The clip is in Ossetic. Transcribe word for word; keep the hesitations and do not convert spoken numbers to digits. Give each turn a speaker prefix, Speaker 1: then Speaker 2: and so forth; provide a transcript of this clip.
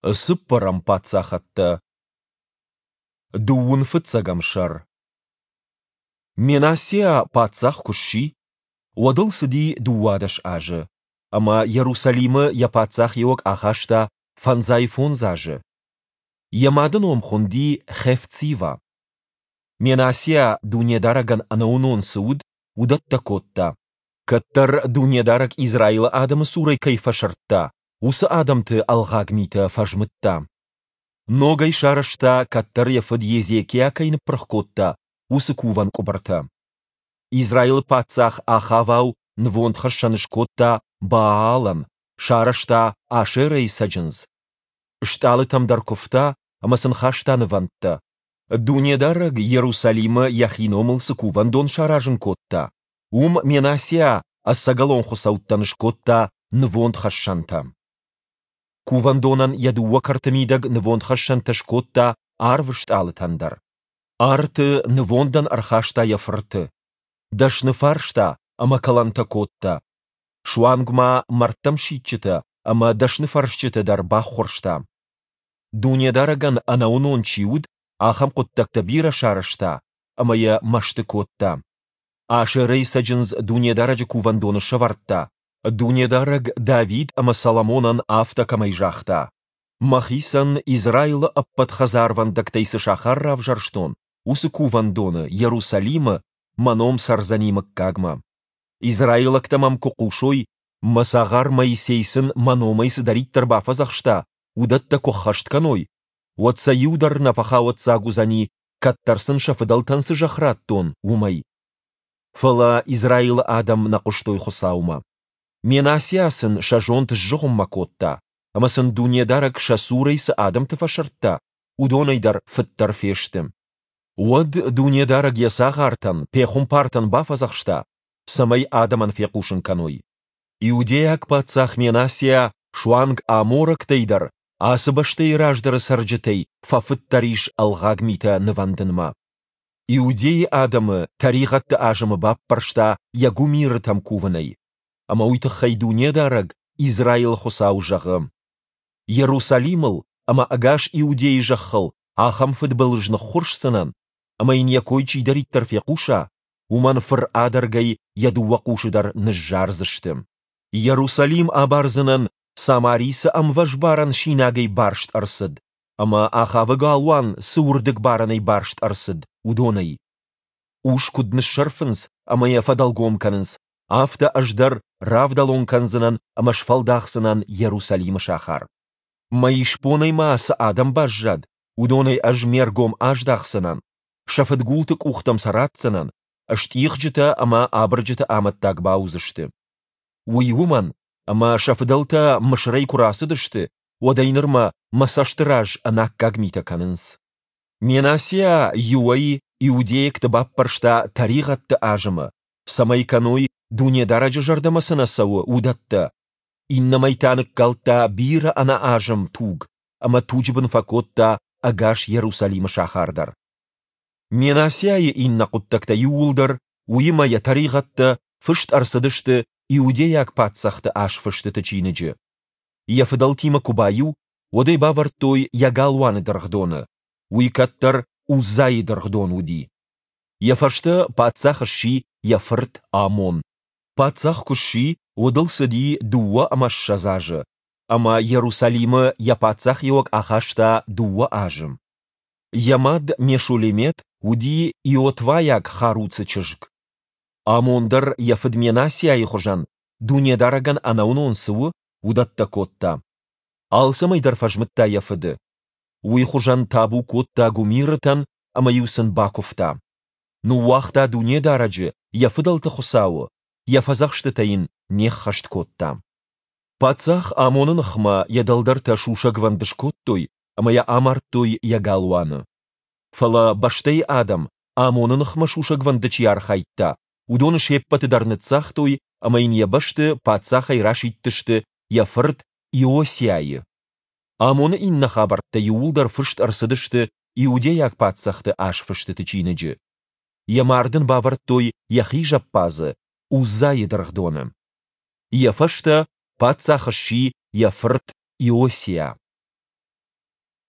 Speaker 1: Цыппӕрӕм паддзахӕдтӕ. Дыууын фыццӕгӕм сӕр. Менассиа паддзах куы сси, уӕд ыл цыди дыууадӕс азы, ӕмӕ Йерусалимы йӕ паддзахиуӕг ахаста фӕндзай фондз азы. Йӕ мады ном хуынди Хефцива. Менассиа Дунедарӕгӕн ӕнӕуынон цы уыд, уыдӕттӕ кодта. Кӕддӕр Дунедарӕг Израилы адӕмы цурӕй кӕй фӕсырдта, уыцы адӕмты ӕлгъаг митӕ фӕзмыдта. Ногӕй сарӕзта, кӕддӕр йӕ фыд Езекиа кӕй ныппырх кодта, уыцы кувӕн къуыбыртӕ. Израилы паддзах Ахавау нывондхӕссӕн скодта Баалӕн, сарӕзта Ашерӕйы цӕджындз. Стъалытӕм дӕр куывта ӕмӕ сын хаста нывӕндтӕ. Дунедарӕг Йерусалимы Йӕхи номыл цы кувӕндон саразын кодта, уым Менассиа ӕцӕгӕлон хуыцӕуттӕн скодта нывондхӕссӕнтӕ. Кувӕндонӕн йӕ дыууӕ кӕрты мидӕг нывондхӕссӕнтӕ скодта арвы стъалытӕн дӕр. Арты нывондӕн ӕрхаста йӕ фырты. Дӕсны фарста ӕмӕ кӕлӕнтӕ кодта. Суанг ма мӕрдтӕмсидджытӕ ӕмӕ дӕсныфӕрсджыты дӕр баххуырста. Дунедарӕгӕн ӕнӕуынон чи уыд, ахӕм хъуыддӕгтӕ бирӕ сарӕзта ӕмӕ йӕ мӕсты кодта. Ашерӕйы цӕджындз Дунедарӕджы кувӕндоны сӕвӕрдта, Дунедарӕг Давид ӕмӕ Соломонӕн афтӕ кӕмӕй загъта: «Мӕхицӕн Израилы ӕппӕт хӕдзарвӕндӕгтӕй цы сахар равзӕрстон, уыцы Кувӕндоны, Йерусалимы, Мӕ ном цӕрдзӕни мыггагмӕ. Израилӕгтӕ мӕм куы хъусой, мӕ цагъар Моисей сын мӕ номӕй цыдӕриддӕр бафӕдзӕхста, уыдӕттӕ куы ӕххӕст кӕной, уӕд сӕ иу дӕр нӕ фӕхауӕццаг уыдзӕни, кӕддӕр сын сӕ фыдӕлтӕн цы зӕхх радтон, уымӕй». Фӕлӕ Израилы адӕм нӕ хъуыстой Хуыцаумӕ. Менассиа сын сӕ зонд сзыгъуыммӕ кодта, ӕмӕ сын Дунедарӕг сӕ цурӕй цы адӕмты фӕсырдта, уыдонӕй дӕр фыддӕр фесты. Уӕд Дунедарӕг йӕ цагъартӕн, пехуымпартӕн бафӕдзӕхста, цӕмӕй адӕмӕн фехъусын кӕной: Иудейаг паддзах Менассиа суанг аморӕгтӕй дӕр, ацы бӕстӕйы раздӕры цӕрджытӕй, фӕфыддӕр ис ӕлгъаг митӕ нывӕндынмӕ. Иудейы адӕмы тӕригъӕдты азымы баппӕрста йӕ гуымирытӕм кувынӕй. Ӕмӕ уый тыххӕй Дунедарӕг, Израилы Хуыцау, зӕгъы: Йерусалимыл ӕмӕ ӕгас Иудейы зӕххыл ахӕм фыдбылыз ныххуырсдзынӕн, ӕмӕ йын йӕ кой чидӕриддӕр фехъуса, уымӕн фыр адӕргӕй йӕ дыууӕ хъусы дӕр ныззардзысты. Йерусалим абардзынӕн, Самари цы ӕмвӕзбарӕн синагӕй барст ӕрцыд ӕмӕ Ахавы галуан цы уырдыгбарӕнӕй барст ӕрцыд, уыдонӕй. Ус куыд ныссӕрфынц ӕмӕ йӕ фӕдӕлгом кӕнынц, афтӕ ӕз дӕр равдӕлон кӕндзынӕн ӕмӕ сфӕлдахдзынӕн Йерусалимы сахар. Мӕ исбонӕй ма цы адӕм баззад, уыдонӕй ӕз ме ргом аздахдзынӕн, сӕ фыдгулты къухтӕм сӕ ратдзынӕн, стъигъджытӕ ӕмӕ абырджыты амӕттаг бауыдзысты. Уый уымӕн, ӕмӕ сӕ фыдӕлтӕ Мысырӕй куы рацыдысты, уӕдӕй нырмӕ мӕ цӕсты раз ӕнаккаг митӕ кӕнынц. Менассиа иуӕй иудейӕгты баппӕрста тӕригъӕдты азымы, цӕмӕй кӕной, Дунедарӕджы зӕрдӕмӕ цы нӕ цӕуы, уыдӕттӕ, иннӕмӕй та ныккалдта бирӕ ӕнӕазым туг ӕмӕ туджы бын фӕкодта ӕгас Йерусалимы сахар дӕр. Менассиайы иннӕ хъуыддӕгтӕ иууылдӕр, уыимӕ йӕ тӕригъӕдтӕ, фыст ӕрцыдысты Иудейаг паддзӕхты азфыстыты чиныджы. Йӕ фыдӕлтимӕ куы баиу, уӕд ӕй бавӕрдтой йӕ галуаны дыргъдоны, уый кӕддӕр Уззайы дыргъдон уыди. Йӕ фӕстӕ паддзах сси йӕ фырт Амон. Паддзах куы сси, уӕд ыл цыди дыууӕ ӕмӕ ссӕдз азы, ӕмӕ Йерусалимы йӕ паддзахиуӕг ахаста дыууӕ азы. Йӕ мад Мешулемет уыди иотвайаг Харуцы чызг. Амон дӕр йӕ фыд Менассиайы хуызӕн, Дунедарӕгӕн ӕнӕуынон цы у, уыдӕттӕ кодта. Алцӕмӕй дӕр фӕзмыдта йӕ фыды. Уый хуызӕн табу кодта гуымирытӕн ӕмӕ-иу сын бакуывта. Ныууагъта Дунедарӕджы, йӕ фыдӕлты Хуыцауы, йӕ фӕдзӕхстытӕ йын не ххӕст кодта. Паддзах Амоны ныхмӕ йӕ дӕлдӕртӕ сусӕгвӕнд скодтой ӕмӕ йӕ амардтой йӕ галуаны. Фӕлӕ бӕстӕйы адӕм, Амоны ныхмӕ сусӕгвӕнды чи архайдта, уыдоны се ппӕты дӕр ныццагътой ӕмӕ йын йӕ бӕсты паддзахӕй расидтысты йӕ фырт Иосиайы. Амоны иннӕ хабӕрттӕ иууылдӕр фыст ӕрцыдысты Иудейаг паддзӕхты азфыстыты чиныджы. Йӕ мард ын бавӕрдтой йӕхи зӕппадзы, Уззайы дыргъдоны. Йӕ фӕстӕ паддзах сси йӕ фырт Иосиа.